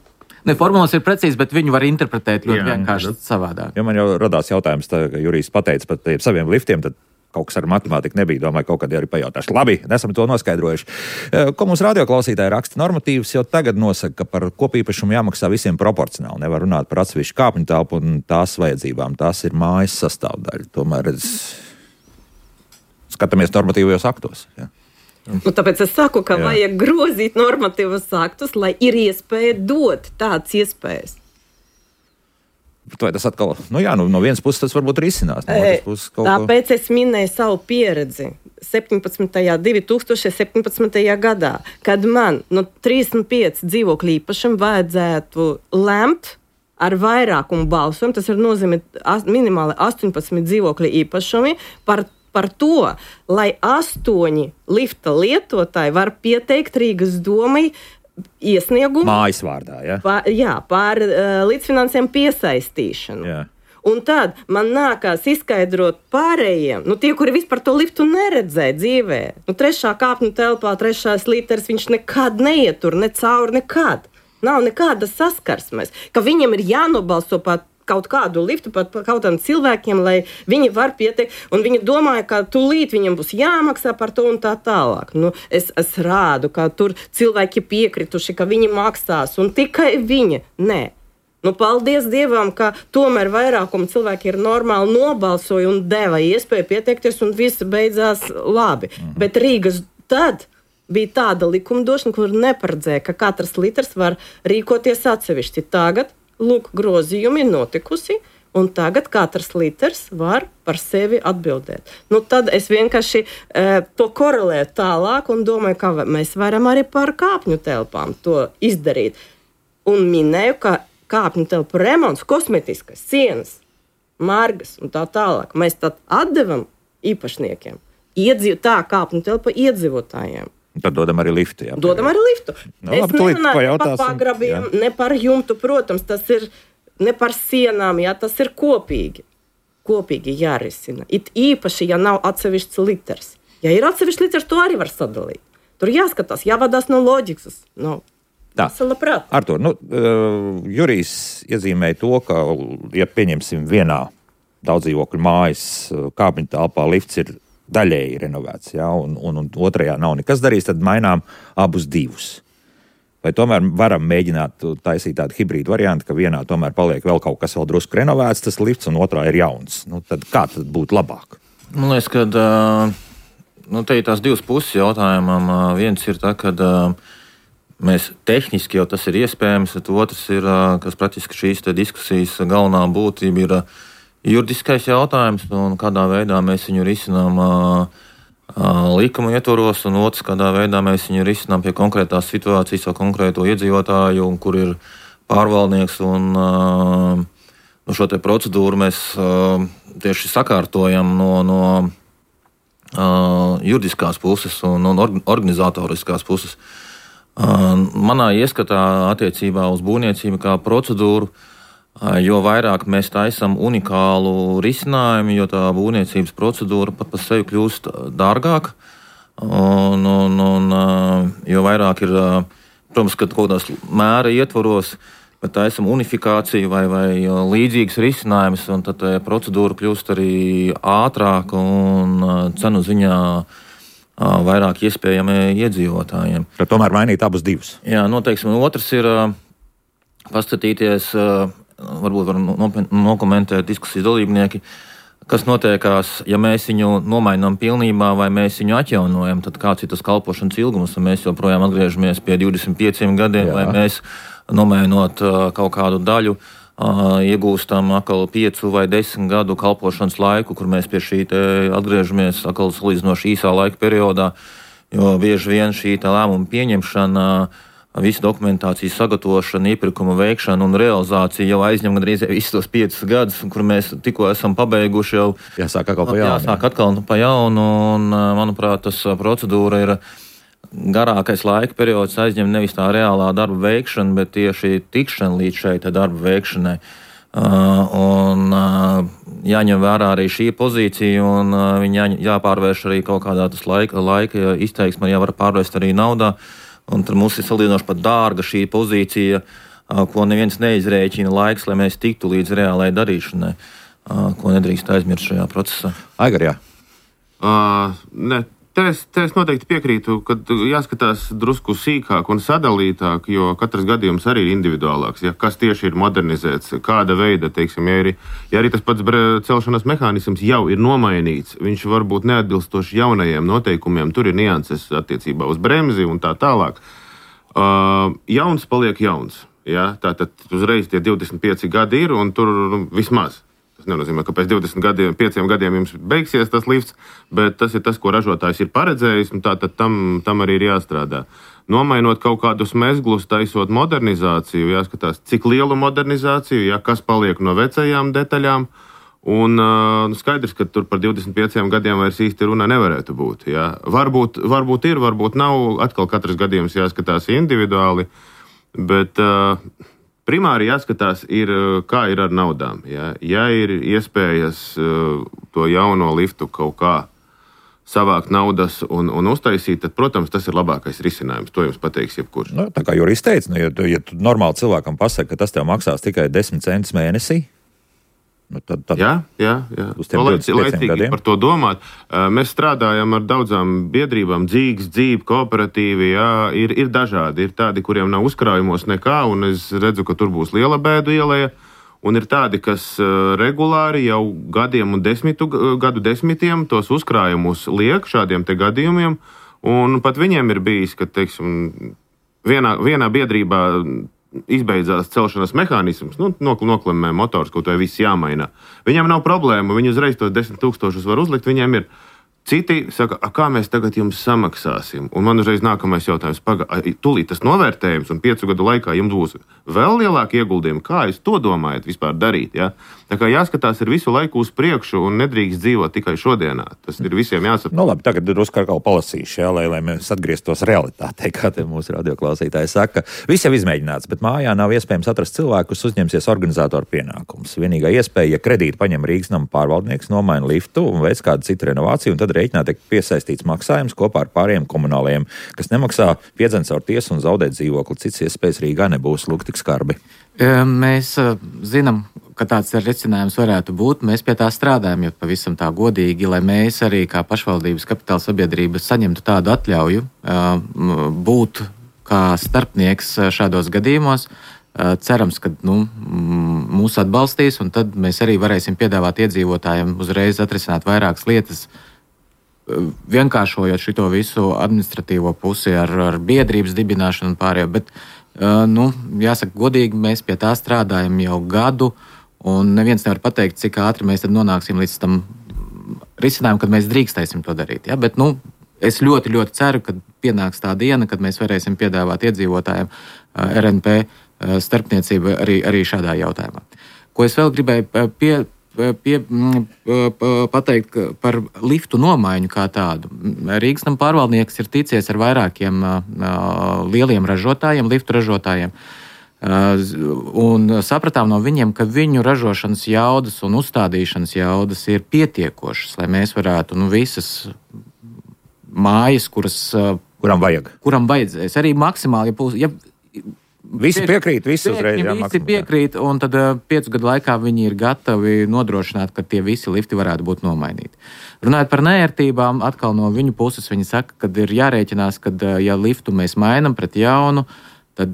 Formulas ir precīzi, bet viņu var interpretēt ļoti vienkārši savādāk. Ja man jau radās jautājums, ka Jurijs pateica par saviem liftiem, tad kaut kas ar matemātiku nebija. Domāju, kaut kad arī pajautāšu. Labi, esam to noskaidrojuši. Ko mums radioklausītāji raksta normatīvas, jau tagad nosaka, ka par kopīpašumu jāmaksā visiem proporcionāli. Nevar runāt par atsevišķu kāpņu telpu un tās vajadzībām. Tās ir mājas sastāvdaļa. Tomēr skatāmies normatīvajos aktos. Ja. Tāpēc es saku, ka vajag grozīt normatīvos aktus, lai ir iespēja dot tādas iespējas. Vai tas atkal, no vienas puses tas varbūt risinās. Tāpēc es minēju savu pieredzi 2017. gadā, kad man no 35 dzīvokļu īpašumu vajadzētu lemt ar vairākumu balsojumu, tas ir nozīmē minimāli 18 dzīvokļu īpašumi par to, lai 8 lifta lietotāji var pieteikt Rīgas domai iesniegumu mājas vārdā, par līdzfinansējumu piesaistīšanu. Jā. Un tad man nākās izskaidrot pārējiem, tie, kuri vispār to liftu neredzēja dzīvē. 3. kāpņu telpā, 3. liters, viņš nekad neietur, ne cauri, nekad. Nav nekādas saskarsmes, ka viņam ir jānobalso pat kaut kādu liftu, pat kaut kādiem cilvēkiem, lai viņi var pieteikt, un viņi domāja, ka tūlīt viņam būs jāmaksā par to un tā tālāk. Es rādu, ka tur cilvēki piekrituši, ka viņi maksās, un tikai viņi. Nē. Paldies Dievam, ka tomēr vairākuma cilvēki ir normāli nobalsoja un deva iespēju pieteikties, un viss beidzās labi. Bet Rīgas tad bija tāda likumdošana, kur neparedzēja, ka katrs litrs var rīkoties atsevišķi. Tagad grozījumi ir notikusi, un tagad katrs litrs var par sevi atbildēt. Tad es vienkārši to korelēju tālāk un domāju, ka mēs varam arī par kāpņu telpām to izdarīt. Un minēju, ka kāpņu telpu remonts, kosmetiskas, sienas, margas un tā tālāk mēs tad atdevam īpašniekiem. Tā kāpņu telpa iedzīvotājiem. Tad dodam arī liftu. Jā. Dodam arī liftu. Es nerunāju par pagrabiem, ne par jumtu, protams, tas ir ne par sienām, tas ir kopīgi. Kopīgi jārisina. It īpaši, ja nav atsevišķs liters. Ja ir atsevišķs liters, to arī var sadalīt. Tur jāskatās, jāvadās no loģikas. Artur, Jurijs iezīmēja to, ka, ja pieņemsim vienā daudzdzīvokļu mājas kāpņu telpā lifts ir daļēji renovēts, un otrajā nav nekas darīts, tad mainām abus divus. Vai tomēr varam mēģināt taisīt tādu hibrīdu variantu, ka vienā tomēr paliek vēl kaut kas vēl drusku renovēts, tas lifts, un otrā ir jauns. Tad kā tad būtu labāk? Man liekas, ka te ir tās divas puses jautājumam. Viens ir tā, ka mēs tehniski jau tas ir iespējams, bet otrs ir, kas praktiski šīs diskusijas galvenā būtība ir juridiskais jautājums, un kādā veidā mēs viņu risinām likuma ietvaros, un otrs, kādā veidā mēs viņu risinām pie konkrētās situācijas vai konkrēto iedzīvotāju, un kur ir pārvaldnieks, un šo te procedūru mēs tieši sakārtojam no juridiskās puses un organizatoriskās puses. Manā ieskatā attiecībā uz būvniecību kā procedūru, jo vairāk mēs taisam unikālu risinājumu, jo tā būvniecības procedūra pat par sevi kļūst dārgāka. Jo vairāk ir, protams, ka kaut kādās mēra ietvaros, bet taisam unifikāciju vai līdzīgas risinājumus, un tad procedūra kļūst arī ātrāka un cenu ziņā vairāk iespējami iedzīvotājiem. Tad tomēr mainīt abus divus. Jā, noteikti. Un otrs ir paskatīties, varbūt var nokomentēt diskusijas dalībnieki, kas notiekās, ja mēs viņu nomainām pilnībā vai mēs viņu atjaunojam, tad kāds ir tas kalpošanas ilgums, un mēs joprojām atgriežamies pie 25 gadiem, vai mēs nomainot kaut kādu daļu, iegūstam atkal 5 vai 10 gadu kalpošanas laiku, kur mēs pie šī atgriežamies atkal salīdzinoši īsā laika periodā, jo bieži vien šī lēmuma pieņemšana, visa dokumentācijas sagatavošana, iepirkuma veikšana un realizācija jau aizņem gandrīz visus tos 5 gadus, kur mēs tikko esam pabeiguši jau. Jāsāk atkal pa jaunu. Jāsāk atkal pa jaunu, un, manuprāt, tas procedūra ir garākais laika periods aizņem nevis tā reālā darba veikšana, bet tieši tikšana līdz šai darba veikšanai. Jāņem vērā arī šī pozīcija, un viņa jāpārvērš arī kaut kādā tas laika izteiksmē, jāvar pārvērst arī naudā. Un tad mums ir salīdzinoši pat dārga šī pozīcija, ko neviens neizrēķina laiks, lai mēs tiktu līdz reālai darīšanai, ko nedrīkst aizmirst šajā procesā. Aigar, jā. Ne, te es noteikti piekrītu, ka jāskatās drusku sīkāk un sadalītāk, jo katrs gadījums arī ir individuālāks. Ja, kas tieši ir modernizēts, kāda veida, teiksim, ja arī tas pats celšanas mehānisms jau ir nomainīts, viņš varbūt neatbilstoši jaunajiem noteikumiem, tur ir nianses attiecībā uz bremzi un tā tālāk. Jauns paliek jauns. Ja, tātad uzreiz tie 25 gadi ir un tur vismaz. Tas nenozīmē, ka pēc 5 gadiem jums beigsies tas lifts, bet tas ir tas, ko ražotājs ir paredzējis, un tātad tam arī ir jāstrādā. Nomainot kaut kādus mezglus, taisot modernizāciju, jāskatās, cik lielu modernizāciju, ja, kas paliek no vecajām detaļām, un skaidrs, ka tur par 25 gadiem vairs īsti runa nevarētu būt. Ja. Varbūt ir, varbūt nav, atkal katrs gadījums jāskatās individuāli, bet primāri jāskatās, kā ir ar naudām. Ja ir iespējas to jauno liftu kaut kā savākt naudas un uztaisīt, tad, protams, tas ir labākais risinājums. To jums pateiks jebkurš. Nu, tā kā jurists teica, ja tu normāli cilvēkam pasaka, ka tas tev maksās tikai 10 centus mēnesī, tad jā. Laicīgi par to domāt. Mēs strādājam ar daudzām biedrībām, dzīve, kooperatīvi, jā, ir dažādi. Ir tādi, kuriem nav uzkrājumos nekā, un es redzu, ka tur būs liela bēdu ielēja, un ir tādi, kas regulāri jau gadiem un gadu desmitiem tos uzkrājumus liek šādiem te gadījumiem, un pat viņiem ir bijis, ka, teiksim, vienā biedrībā izbeidzās celšanas mehānisms, noklimē motors, kaut vai viss jāmaina. Viņam nav problēma, viņi uzreiz tos 10 000 var uzlikt, viņiem ir. Citi saka, kā mēs tagad jums samaksāsim? Un man uzreiz nākamais jautājums, tūlīt tas novērtējums un 5 gadu laikā jums būs vēl lielāki ieguldījumi. Kā jūs to domājat vispār darīt? Ja? Tā kā jāskatās ir visu laiku uz priekšu un nedrīkst dzīvot tikai šodienā. Tas ir visiem jāsaprot. Nu labi, tagad drusku atkal palasīšu, ja, lai mēs atgrieztos realitātei, kā te mūsu radioklausītāji saka. Viss jau izmēģināts, bet mājā nav iespējams atrast cilvēku, kas uzņemsies organizatoru pienākumus. Vienīgā iespēja, ja kredītu paņem Rīgas nama pārvaldnieks, nomaina liftu un veic kādu citu renovāciju, un tad rēķinā tiek piesaistīts maksājums kopā ar pārējiem komunālajiem, kas nemaksā, piedzen caur tiesu un zaudē dzīvokli. Cits iespējas Rīgā nebūs, lūk, tik skarbi. Mēs zinām, ka tāds risinājums varētu būt. Mēs pie tā strādājam, jo pavisam tā godīgi, lai mēs arī kā pašvaldības kapitāla sabiedrība saņemtu tādu atļauju būt kā starpnieks šādos gadījumos. Cerams, ka mūs atbalstīs, un tad mēs arī varēsim piedāvāt iedzīvotājiem uzreiz atrisināt vairākas lietas, vienkāršojot šito visu administratīvo pusi ar biedrības dibināšanu un pārējo. Bet, jāsaka, godīgi, mēs pie tā strādājam jau gadu, un neviens nevar pateikt, cik ātri mēs tad nonāksim līdz tam risinājumam, kad mēs drīkstēsim to darīt. Ja? Bet, es ļoti, ļoti ceru, ka pienāks tā diena, kad mēs varēsim piedāvāt iedzīvotājiem RNP starpniecību arī šādā jautājumā. Ko es vēl gribēju pateikt par liftu nomaiņu kā tādu. Rīgas nama pārvaldnieks ir ticies ar vairākiem lieliem ražotājiem, liftu ražotājiem, un sapratām no viņiem, ka viņu ražošanas jaudas un uzstādīšanas jaudas ir pietiekošas, lai mēs varētu visas mājas, kuram vajadzēs, arī maksimāli, Visi piekrīt, visi uzreiz. Visi piekrīt, un tad 5 gadu laikā viņi ir gatavi nodrošināt, ka tie visi lifti varētu būt nomainīti. Runājot par neērtībām, atkal no viņu puses viņi saka, ka ir jārēķinās, ka ja liftu mēs mainam pret jaunu, tad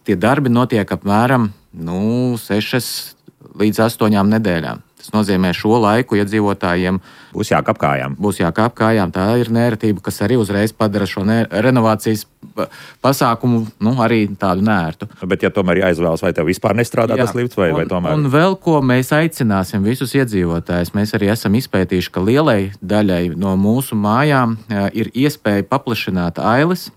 tie darbi notiek apmēram 6 līdz 8 nedēļām. Tas nozīmē šo laiku iedzīvotājiem būs jākāp kājām. Tā ir neērtība, kas arī uzreiz padara šo renovācijas pasākumu arī tādu neērtu. Bet ja tomēr jāizvēlas, vai tev vispār nestrādā tas lifts, vai tomēr? Un vēl ko mēs aicināsim visus iedzīvotājus, mēs arī esam izpētījuši, ka lielai daļai no mūsu mājām ir iespēja paplašināt ailes,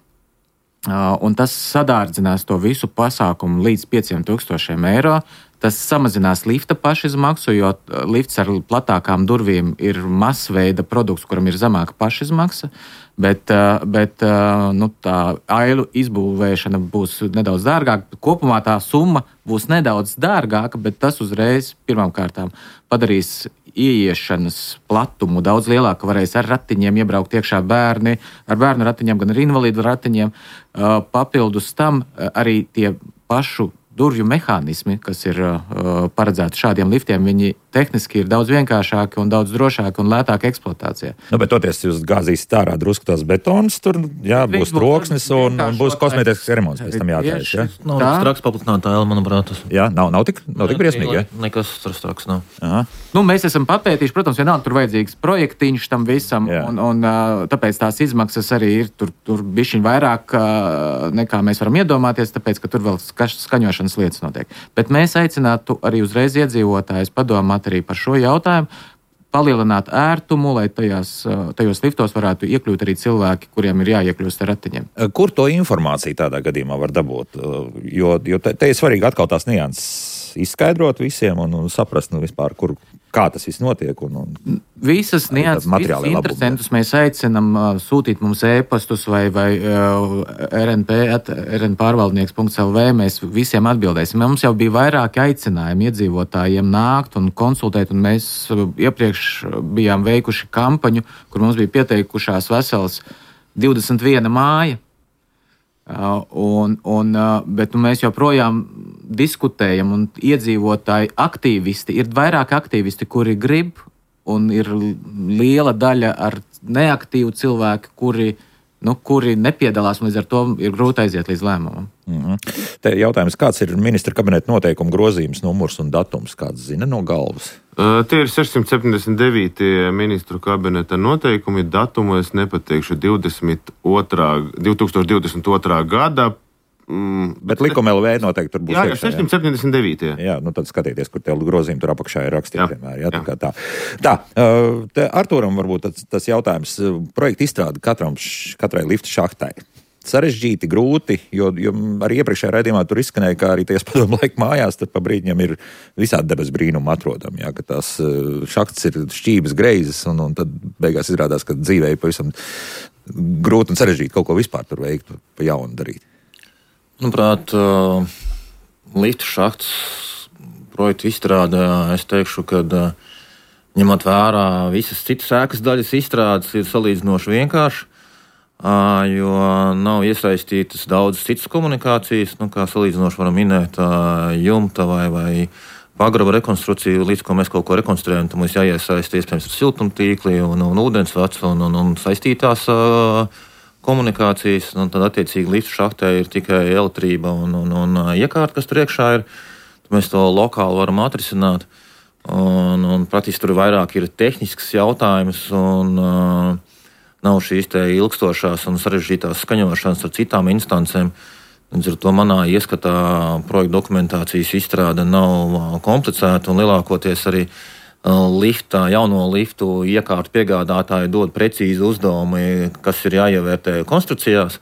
un tas sadārdzinās to visu pasākumu līdz 5,000 eiro. Tas samazinās lifta pašizmaksu, jo lifts ar platākām durvīm ir masveida produkts, kuram ir zemāka pašizmaksa, bet tā ailu izbūvēšana būs nedaudz dārgāka. Kopumā tā summa būs nedaudz dārgāka, bet tas uzreiz pirmkārtām padarīs ieiešanas platumu daudz lielāku. Varēs ar ratiņiem iebraukt iekšā bērni, ar bērnu ratiņiem, gan ar invalīdu ratiņiem. Papildus tam arī tie pašu durvju mehānismi, kas ir paredzēti šādiem liftiem, viņi tehniski ir daudz vienkāršāki un daudz drošāki un lētāki eksploatācijā. Bet toties jūs gāzīsiet ārā drusku tās betonas, tur būs troksnis un būs kosmētisks remonts pēc tam jātaisa. Ja? Nav straks paplitinātā ēla, manuprāt. Jā, nav tik briesmīgi, ja? Nekas straks nav. Aha. Mēs esam papētījuši, protams, vienalga tur vajadzīgs projektiņš tam visam, un tāpēc tās izmaksas arī ir tur bišķiņ vairāk nekā mēs varam iedomāties, tāpēc, ka tur vēl skaņošanas lietas notiek. Bet mēs aicinātu arī uzreiz iedzīvotājus padomāt arī par šo jautājumu, palielināt ērtumu, lai tajos liftos varētu iekļūt arī cilvēki, kuriem ir jāiekļūst ar ratiņiem. Kur to informāciju tādā gadījumā var dabūt? Jo te ir svarīgi atkal tās nianses izskaidrot visiem un saprast vispār, kā tas viss notiek. Visas nianses, visus interesantus mēs aicinam sūtīt mums e-pastus vai rnp@rnpārvaldnieks.lv. Mēs visiem atbildēsim. Mums jau bija vairāki aicinājumi iedzīvotājiem nākt un konsultēt, un mēs iepriekš bijām veikuši kampaņu, kur mums bija pieteikušās vesels 21 māja. Bet mēs joprojām diskutējam, un iedzīvotāji aktīvisti, ir vairāk aktīvisti, kuri grib, un ir liela daļa ar neaktīvu cilvēku, kuri nepiedalās, un līdz ar to ir grūti aiziet līdz lēmumam. Te jautājums, kāds ir ministra kabineta noteikuma grozījums, numurs un datums, kāds zina no galvas? Tie ir 679. ministru kabineta noteikumi, datumu es nepateikšu 2022. gada. Bet likuma LV noteikti tur būs. Jā, 679. Jā, tad skatieties, kur tie grozījumi tur apakšā ir rakstīti. Tā, Artūram varbūt tas jautājums. Projekta izstrāde katrai lifta šahtai. Sarežģīti, grūti, jo arī iepriekšējā raidījumā tur izskanēja, ka arī tajās padomu laika mājās tad pa brīdņiem ir visādi debes brīnumi atrodami, jā, ka tās šahtas ir šķības greizes un tad beigās izrādās, ka dzīvē ir pavisam grūti un sarežģīti kaut ko vispār tur veikt, pa jaunu darīt. Manuprāt, liftu šahtas projektu izstrādē, es teikšu, ka ņemot vērā visas citas ēkas daļas izstrādes ir salīdzinoši vienkārši, jo nav iesaistītas daudzas citas komunikācijas, kā salīdzinoši varam minēt jumta vai pagraba rekonstrukciju, līdz ko mēs kaut ko rekonstruējam, tad mums jāiesaist iespējams ar siltumtīkli un ūdensvads un saistītās komunikācijas, un tad attiecīgi liftu šahtē ir tikai elektrība un iekārta, kas tur iekšā ir. Tad mēs to lokāli varam atrisināt, un praktiski tur vairāk ir tehnisks jautājums, un nav šīs te ilgstošās un sarežģītās skaņošanas ar citām instancēm. Līdz ar to manā ieskatā projekta dokumentācijas izstrāde nav komplicēta, un lielākoties arī jauno liftu iekārtu piegādātāji dod precīzi uzdevumi, kas ir jāievērtē konstrukcijās.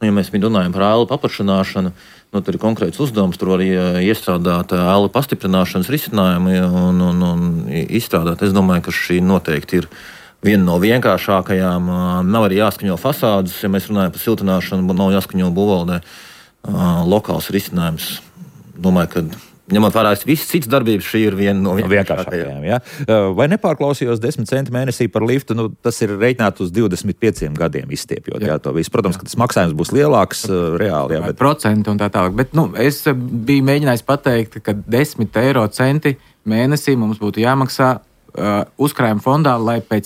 Ja mēs runājam par ēlu paplašināšanu, tad ir konkrēts uzdevums, tur var iestrādāt ēlu pastiprināšanas risinājumu un izstrādāt. Es domāju, ka šī noteikti ir viena no vienkāršākajām. Nav arī jāskaņo fasādes, ja mēs runājam par siltināšanu, nav jāskaņo būvvaldē. Lokāls risinājums. Domāju, ka ņemot vērā visas citas darbības, šī ir viena no vienkāršākajām. Ja? Vai nepārklausījos 10 centi mēnesī par liftu? Tas ir reiķināts uz 25 gadiem izstiepjot. Jā, to visu. Protams, ka tas maksājums būs lielāks reāli. Jā, bet procenti un tā tālāk. Bet es biju mēģinājis pateikt, ka 10 eiro centi mēnesī mums būtu jāmaksā uzkrājuma fondā, lai pēc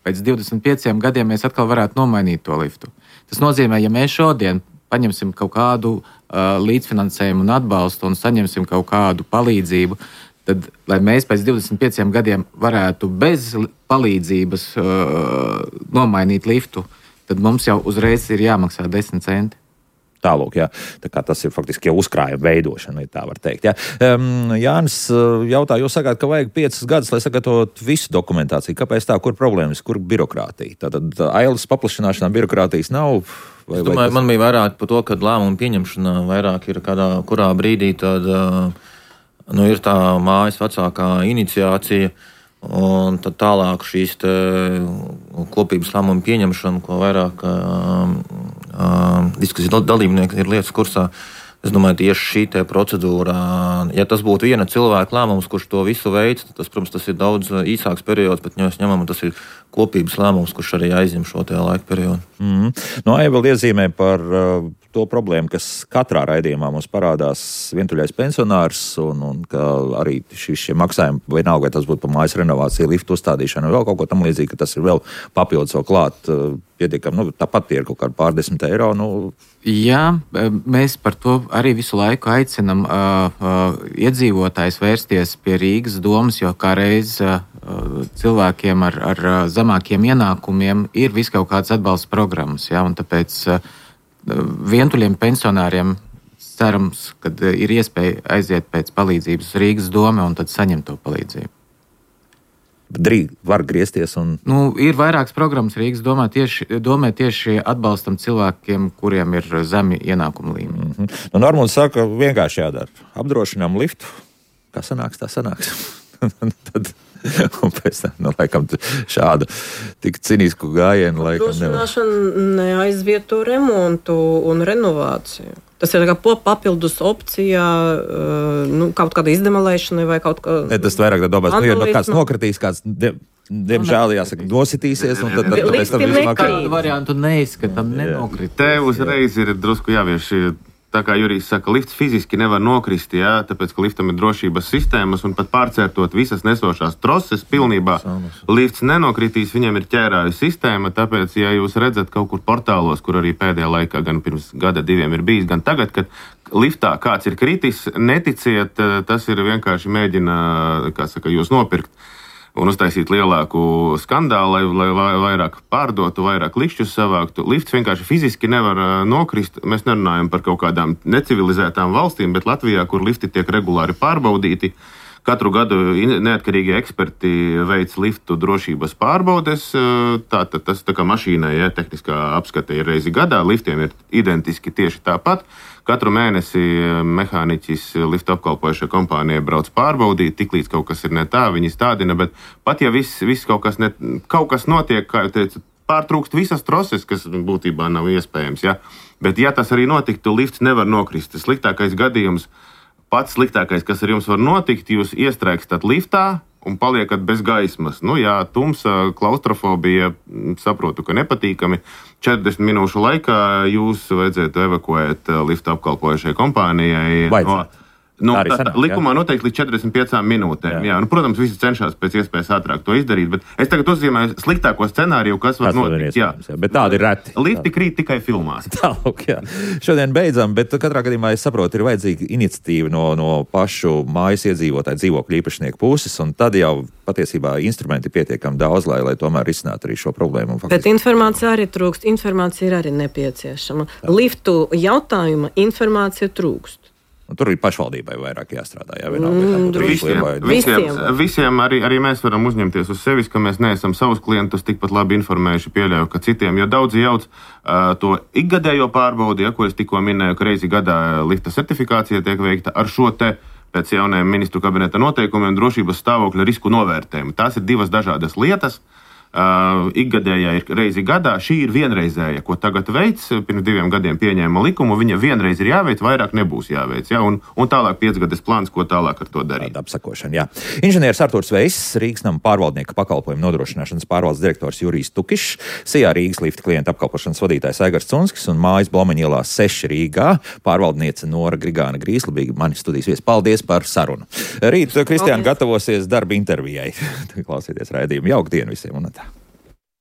25 gadiem mēs atkal varētu nomainīt to liftu. Tas nozīmē, ja mēs šodien paņemsim kaut kādu līdzfinansējumu un atbalstu un saņemsim kaut kādu palīdzību, tad, lai mēs pēc 25 gadiem varētu bez palīdzības nomainīt liftu, tad mums jau uzreiz ir jāmaksā 10 centi. Tālūk, jā. Tā kā tas ir faktiski jau uzkrājuma veidošana, tā var teikt. Jā. Jānis jautā, jūs sakāt, ka vajag 5 gadus, lai sagatavotu visu dokumentāciju. Kāpēc tā? Kur problēmas? Kur birokrātija? Tātad ailes paplašināšanā birokrātijas nav? Es domāju, man bija vairāk par to, ka lēmumu pieņemšanā vairāk ir kurā brīdī tad, ir tā mājas vecākā iniciācija, un tad tālāk šīs kopības lēmumu pieņemšana, ko vairāk diskusiju dalībnieki ir lietas kursā. Es domāju, tieši šī procedūra, ja tas būtu viena cilvēka lēmums, kurš to visu veids, tas, protams, tas ir daudz īsāks periods, bet ja mēs ņemam, tas ir kopības lēmums, kurš arī aizņem šo laika periodu. No Aiva vēl iezīmē par to problēmu, kas katrā raidījumā mums parādās, vientuļais pensionārs, un ka arī šie maksājumi, vienalga, vai tas būtu par mājas renovāciju, liftu uzstādīšanu, vēl kaut ko tam līdzīgi, ka tas ir vēl papildus vēl klāt pietiekami, tāpat tie ir kaut kādi pār 10 eiro. Jā, mēs par to arī visu laiku aicinam iedzīvotājs vērsties pie Rīgas domas, jo kā reiz cilvēkiem ar zemākiem ienākumiem ir vis kaut kāds atbalsta programmas, ja, un tāpēc vientuļiem pensionāriem cerams, ka ir iespēja aiziet pēc palīdzības Rīgas doma un tad saņemt to palīdzību. Drīz var griezties un... Ir vairākas programmas Rīgas domē tieši atbalstam cilvēkiem, kuriem ir zemi ienākumu līmeni. Normūna saka, vienkārši jādara. Apdrošinām liftu. Kā sanāks, tā sanāks. Tad... Un pēc tam, laikam, šādu tik cinisku gājienu laikam nevar. Apdrošināšana neaizvieto remontu un renovāciju. Tas ir papildus opcija, kaut kāda izdemalēšana vai kaut kā... Tas vairāk tā domās, ja kāds nokritīs, kāds, diemžēl, jāsaka, nositīsies, un tad pēc tam visu makā. Kādu variantu neizskatām, nenokrit. Te uzreiz ir drusku jāvieš. Tā kā Jurijs saka, lifts fiziski nevar nokrist, jā, tāpēc, ka liftam ir drošības sistēmas un pat pārcērtot visas nesošās troses pilnībā, lifts nenokritīs, viņam ir ķērāju sistēma, tāpēc, ja jūs redzat kaut kur portālos, kur arī pēdējā laikā, gan pirms gada 2 ir bijis, gan tagad, kad liftā kāds ir kritis, neticiet, tas ir vienkārši mēģina, jūs nopirkt un uztaisīt lielāku skandālu, lai vairāk pārdotu, vairāk likšķus savāktu. Lifts vienkārši fiziski nevar nokrist. Mēs nerunājam par kaut kādām necivilizētām valstīm, bet Latvijā, kur lifti tiek regulāri pārbaudīti, katru gadu neatkarīgi eksperti veic liftu drošības pārbaudes. Tātad tas tā kā mašīnai, ja, tehniskā apskate ir reizi gadā, liftiem ir identiski tieši tāpat. Katru mēnesi mehāniķis liftu apkalpojušai kompānijai brauc pārbaudīt, tiklīdz kaut kas ir ne tā, viņi stādina, bet pat ja viss kaut kas notiek, kā jau teicu, pārtrūkst visas troses, kas būtībā nav iespējams, ja. Bet ja tas arī notiktu, lifts nevar nokrist. Sliktākais gadījums, pats sliktākais, kas ar jums var notikt, jūs iestrēgstat liftā un paliekat bez gaismas. Jā, tumsa, klaustrofobija, saprotu, ka nepatīkami. 40 minūšu laikā jūs vajadzētu evakuēt liftu apkalpojušai kompānijai. Likumā noteikti līdz 45 minūtēm. Jā. Protams, visi cenšas pēc iespējas ātrāk to izdarīt, bet es tagad uzzīmēju sliktāko scenāriju, kas var notikt. Bet tādi ir reti. Lifti krīt tikai filmās. Tālāk, jā. Šodien beidzam, bet katrā gadījumā es saprotu, ir vajadzīga iniciatīva no pašu mājas iedzīvotāju dzīvokļu īpašnieku puses, un tad jau patiesībā instrumenti pietiekami daudz, lai tomēr risinātu arī šo problēmu. Bet informācija arī trūkst, informācija ir arī nepieciešama. Liftu jautājuma informācija trūkst. Tur ir pašvaldībai vairāk jāstrādā. Jā, visiem arī mēs varam uzņemties uz sevis, ka mēs neesam savus klientus tikpat labi informējuši, pieļauju, ka citiem, jo daudzi jauc to ikgadējo pārbaudi, ko es tikko minēju, ka reizi gadā lifta certifikācija tiek veikta ar šo te pēc jaunajiem ministru kabineta noteikumiem drošības stāvokļa risku novērtējumu. Tās ir 2 dažādas lietas. Ikgadējā ir reizi gadā, šī ir vienreizēja, ko tagad veids, pirms 2 gadiem pieņēma likumu, viņa vienreiz ir jāveic, vairāk nebūs jāveic, ja? un tālāk 5 gades plāns, ko tālāk ar to darīt. Apsakošana, jā. Inženieris Artūrs Veiss, Rīgas nama pārvaldnieka pakalpojumu nodrošināšanas pārvaldes direktors Jurijs Tukišs, Sijā Rīgas lifta klienta apkalpošanas vadītājs Aigars Cunskis un mājas Blomeņa ielā 6 Rīgā pārvaldniece Nora Grigāna Grīsla bija mani studijas viesi. Paldies par sarunu. Rīt Kristiāna gatavosies darba intervijai. Klausieties raidījumu. Jauku dienu visiem!